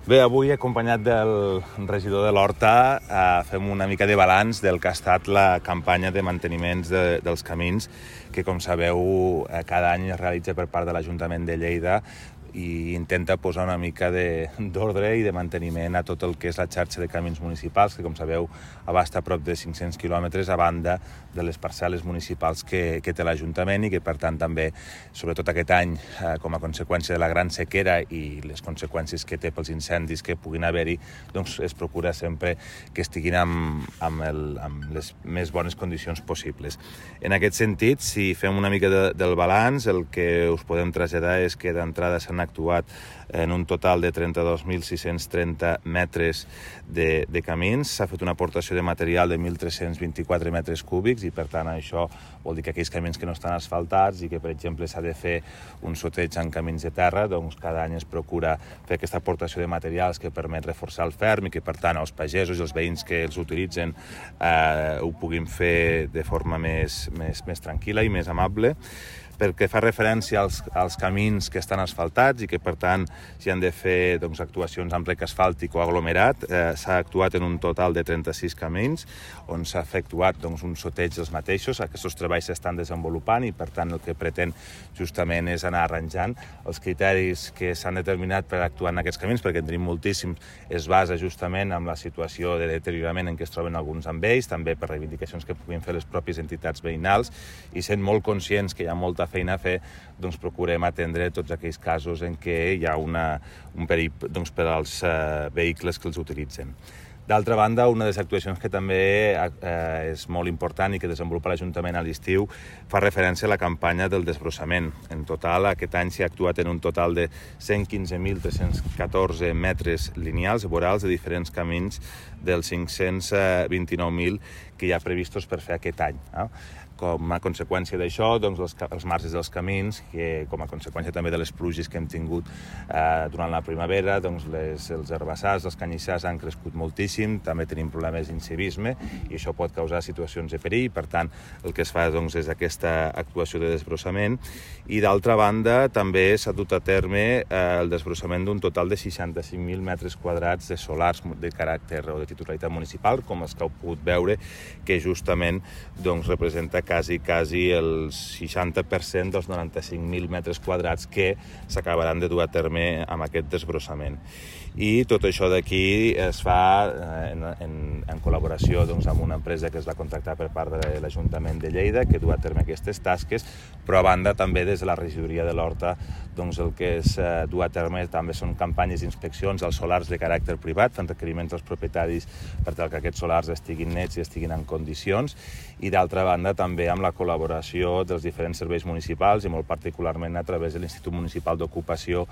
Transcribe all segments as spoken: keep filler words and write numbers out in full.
Bé, avui, acompanyat del regidor de l'Horta, eh, fem una mica de balanç del que ha estat la campanya de manteniments de, dels camins, que, com sabeu, eh, cada any es realitza per part de l'Ajuntament de Lleida i intenta posar una mica d'ordre i de manteniment a tot el que és la xarxa de camins municipals, que, com sabeu, abasta prop de cinc-cents quilòmetres a banda de les parcel·les municipals que, que té l'Ajuntament i que, per tant, també, sobretot aquest any, eh, com a conseqüència de la gran sequera i les conseqüències que té pels incendis que puguin haver-hi, doncs es procura sempre que estiguin amb, amb, el, amb les més bones condicions possibles. En aquest sentit, si fem una mica de, del balanç, el que us podem traslladar és que d'entrada s'han actuat en un total de trenta-dos mil sis-cents trenta metres de, de camins. S'ha fet una aportació de material de mil tres-cents vint-i-quatre metres cúbics i, per tant, això vol dir que aquells camins que no estan asfaltats i que, per exemple, s'ha de fer un sorteig en camins de terra, doncs cada any es procura fer aquesta aportació de materials que permet reforçar el ferm i que, per tant, els pagesos i els veïns que els utilitzen eh, ho puguin fer de forma més, més, més tranquil·la i més amable. Perquè fa referència als, als camins que estan asfaltats i que, per tant, s'hi han de fer doncs, actuacions amb rec asfàltic o aglomerat. Eh, s'ha actuat en un total de trenta-sis camins, on s'ha efectuat doncs, un sorteig dels mateixos. Aquests treballs s'estan desenvolupant i, per tant, el que pretén justament és anar arranjant els criteris que s'han determinat per actuar en aquests camins, perquè en tenim moltíssims, es basa justament en la situació de deteriorament en què es troben alguns amb ells, també per reivindicacions que puguin fer les pròpies entitats veïnals, i sent molt conscients que hi ha molta feina a fer, doncs procurem atendre tots aquells casos en què hi ha una, un perill doncs, per als eh, vehicles que els utilitzen. D'altra banda, una de les actuacions que també eh, és molt important i que desenvolupa l'Ajuntament a l'estiu fa referència a la campanya del desbrossament. En total, aquest any s'ha actuat en un total de cent quinze mil tres-cents catorze metres lineals i vorals de diferents camins dels cinc-cents vint-i-nou mil que hi ha previstos per fer aquest any. Eh? Com a conseqüència d'això, doncs, els, els marges dels camins, que com a conseqüència també de les pluges que hem tingut eh, durant la primavera, doncs les, els herbassars, els canyissars han crescut moltíssim, també tenim problemes d'incivisme i això pot causar situacions de perill. Per tant, el que es fa doncs, és aquesta actuació de desbrossament. I d'altra banda, també s'ha dut a terme eh, el desbrossament d'un total de seixanta-cinc mil metres quadrats de solars de caràcter o de titularitat municipal, com els que heu pogut veure, que justament doncs, representa quasi, quasi el seixanta per cent dels noranta-cinc mil metres quadrats que s'acabaran de dur a terme amb aquest desbrossament. I tot això d'aquí es fa en, en, en col·laboració doncs, amb una empresa que es va contractar per part de l'Ajuntament de Lleida, que du a terme aquestes tasques, però a banda també des de la regidoria de l'Horta doncs, el que es eh, du a terme també són campanyes d'inspeccions als solars de caràcter privat, fent requeriments als propietaris per tal que aquests solars estiguin nets i estiguin en condicions, i d'altra banda també amb la col·laboració dels diferents serveis municipals i molt particularment a través de l'Institut Municipal d'Ocupació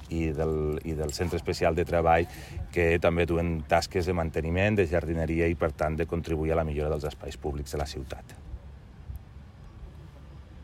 i del, i del Centre Especial de Treball, que també duen tasques de manteniment, de jardineria i, per tant, de contribuir a la millora dels espais públics de la ciutat.